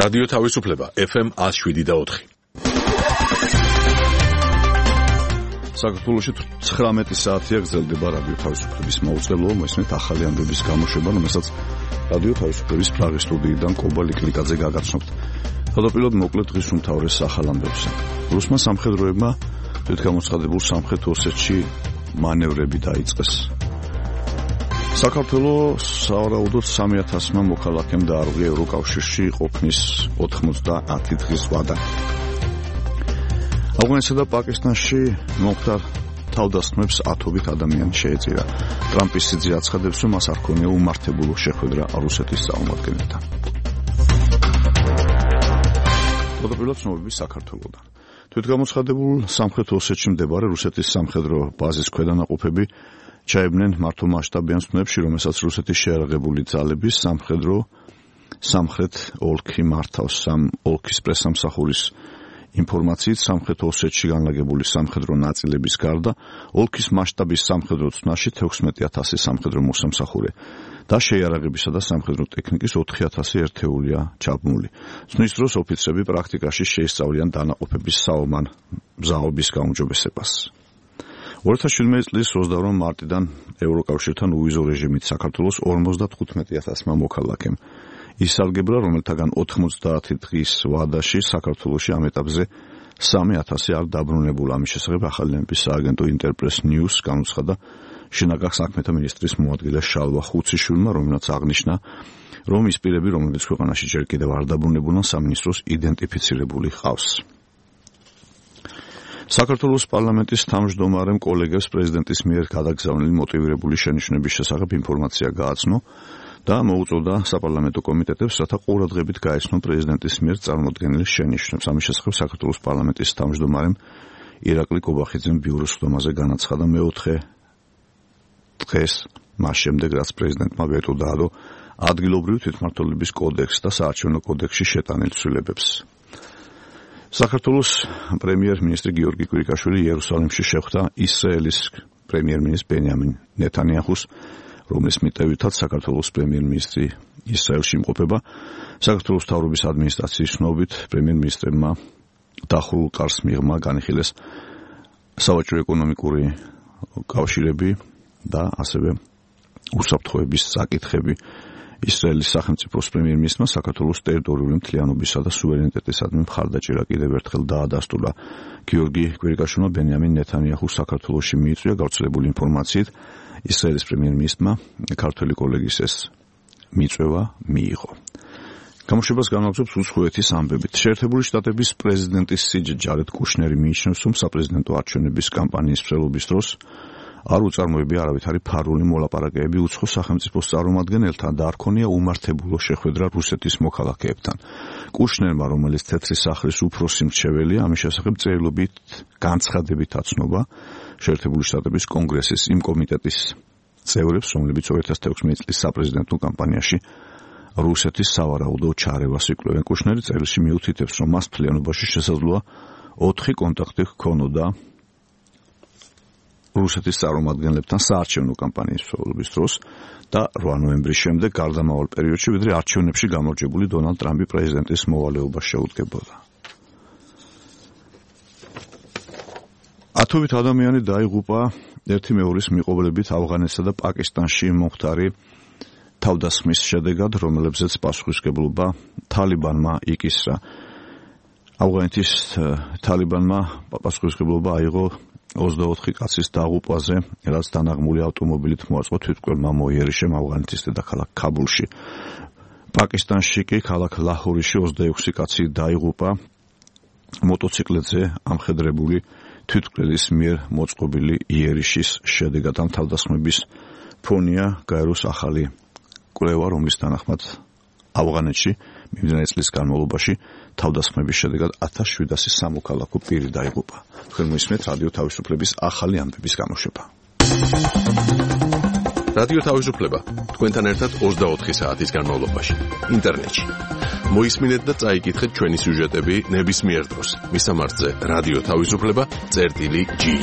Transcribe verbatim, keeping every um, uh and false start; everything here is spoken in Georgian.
რადიო თავისუფლება ეფ ემ one oh seven და four. საქართველოში ცხრამეტი საათია გრძელდება რადიო თავისუფლების მაუწყებლობა, მოისმენთ ახალი ამბების გამოშვება, რომელსაც რადიო თავისუფლების პრაღის სტუდიიდან კობა ლიკლიკაძე გაგაცნობთ. თავდაპირველად მოკლედ დღის უმთავრეს ახალ ამბებზე. რუსმა სამხედროებმა თვითგამოცხადებულ სამხრეთ ოსეთში მანევრები დაიწყეს. საქართველოს სავარაუდოდ სამი ათასმა მოქალაქემ დაარღვია ევროკავშირში ყოფნის ოთხმოცდაათი დღის ვადა. ავღანეთსა და პაკისტანში მომხდარ თავდასხმებს ათობით ადამიანი შეეწირა. ტრამპის სიძე აცხადებს, რომ მას არ ქონია უმართებულო შეხვედრა რუსეთის წარმომადგენელთან. თავდაპირველად ცნობები საქართველოდან. თვითგამოცხადებულ სამხრეთ ოსეთში მდებარე რუსეთის სამხედრო ბაზის ქვედანაყოფები ჩაებნენ მართლმასშტაბიან ცნობებში, რომელსაც რუსეთის შეიარაღებული ძალების სამხედრო სამხრეთ ოლქი მართავს. სამ ოლქის პრესამსახურის ინფორმაციით სამხრეთ ოსეთში განლაგებული სამხედრო ნაწილების გარდა ოლქის მასშტაბის სამხედრო ცნაში თექვსმეტი ათასი სამხედრო მოსამსახურე და შეიარაღებისა და სამხედრო ტექნიკის ოთხი ათასი ერთეულია ჩაბმული. ცნის დროს ოფიცრები პრაქტიკაში შეისწავლიან დანაყოფების საომარ მზაობის გაუმჯობესებას. ორი ათას შვიდმეტი წლის ოცდაორი მარტიდან ევროკავშირთან უვიზო რეჟიმით საქართველოს ორმოცდათხუთმეტი ათასმა მოქალაქემ ისარგებლა, რომელთაგან ოთხმოცდაათი დღის ვადაში საქართველოში ამ ეტაპზე სამი ათასი არ დაბრუნებულა. ამის შესახებ ახალი ამბის სააგენტო ინტერპრეს ნიუს განუცხადა შინაგან საქმეთა მინისტრის მოადგილე შალვა ხუციშვილმა, რომელმაც აღნიშნა, რომ ის პირები, რომლებიც ქვეყანაში ჯერ კიდევ არ დაბრუნებულან, სამინისტროს იდენტიფიცირებული ჰყავს. საქართველოს პარლამენტის თავმჯდომარემ კოლეგებს პრეზიდენტის მიერ გადაგზავნილი მოტივირებული შენიშვნების შესახებ ინფორმაცია გააცნო და მოუწოდა საპარლამენტო კომიტეტებს, რათა ყურადღებით გაეცნონ პრეზიდენტის მიერ წარმოდგენილ შენიშვნებს. ამის შესახებ საქართველოს პარლამენტის თავმჯდომარემ ირაკლი კობახიძემ ბიუროს ხდომაზე განაცხადა მეოთხე დღეს, მას შემდეგ, რაც პრეზიდენტმა ვეტო დაადო ადგილობრივი თვითმმართველობის კოდექსს და საარჩევნო კოდექსში შეტანილ ცვლილებებს. საქართველოს პრემიერ-მინისტრი გიორგი კვირიკაშვილი იერუსალიმში შეხვდა ისრაელის პრემიერ-მინისტრ ბენიამინ ნეთანიაჰუს, რომლის მიტევითაც საქართველოს პრემიერ-მინისტრი ისრაელში იმყოფება. საქართველოს მთავრობის ადმინისტრაციის ცნობით პრემიერ-მინისტრმა დახურულ კარს მიღმა განიხილეს სავაჭრო ეკონომიკური კავშირები და ასევე უსაფრთხოების საკითხები. ისრაელის სახელმწიფოს პრემიერ-მინისტრმა საქართველოს ტერიტორიული მთლიანობისა და სუვერენიტეტისადმი მხარდაჭერა კიდევ ერთხელ დაადასტურა. გიორგი კვირიკაშვილმა ბენიამინ ნეთანიაჰუს საქართველოში მიიწვია. გავრცელებული ინფორმაციით ისრაელის პრემიერ-მინისტრმა ქართველი კოლეგის ეს მიწვევა მიიღო. გამოშვებას განაგრძობს უცხოეთის ამბებით. შეერთებული შტატების პრეზიდენტის სიჯე ჯარედ კუშნერი მიიჩნევს, რომ საპრეზიდენტო არჩევნების კამპანიის მსვლელობის დროს არ უწარმოებია არავითარი ფარული მოლაპარაკებები უცხო სახელმწიფოს წარმომადგენელთან და არ ქონია უმართებულო შეხვედრა რუსეთის მოქალაქეებთან. კუშნერმა, რომელიც თეთრი სახლის უფროსი მრჩეველია, ამის შესახებ წერილობით განცხადებით აცნობა შეერთებული შტატების კონგრესის იმ კომიტეტის წევრებს, რომლებიც ორი ათას თექვსმეტი წლის საპრეზიდენტო კამპანიაში რუსეთის სავარაუდო ჩარევას იკვლევენ. კუშნერი წერილში მიუთითებს, რომ მას მთლიანობაში შესაძლოა ოთხი კონტაქტი ჰქონოდა რუსეთის წარმომადგენლებთან საარჩევნო კამპანიის მსვლელობის დროს და რვა ნოემბრის შემდეგ გარდამავალ პერიოდში, ვიდრე არჩევნებში გამარჯვებული დონალდ ტრამპი პრეზიდენტის მოვალეობას შეუდგებოდა. ათობით ადამიანი დაიღუპა ერთი მეორის მიყოვლებით ავღანეთსა და პაკისტანში მომხდარი თავდასხმის შედეგად, რომელებზეც პასუხისმგებლობა თალიბანმა იკისრა. ავღანეთის თალიბანმა პასუხისმგებლობა აიღო ოცდაოთხი კაცის დაღუპვაზე, რაც დანაღმული ავტომობილით მოაწყო თვითმკვლელმა მოიერიშემ ავღანეთის დედაქალაქ ქაბულში. პაკისტანში კი ქალაქ ლაჰორიში ოცდაექვსი კაცი დაიღუპა მოტოციკლებზე ამხედრებული თვითმკვლელის მიერ მოწყობილი იერიშის შედეგად. ამ თავდასხმების ფონია გაეროს ახალი კვლევა, რომლის თანახმად ავღანეთში მიმდინარე წლის განმავლობაში თავდასხმების შედეგად ათას შვიდასი სამოქალაქო პირი დაიღუპა. თქვენ მოისმენთ რადიო თავისუფლების ახალი ამბების გამოშვება. რადიო თავისუფლება თქვენთან ერთად ოცდაოთხი საათის განმავლობაში ინტერნეტში. მოისმინეთ და წაიკითხეთ ჩვენი სიუჟეტები ნებისმიერ დროს. მისამართზე რადიო თავისუფლება წერტილი ჯი.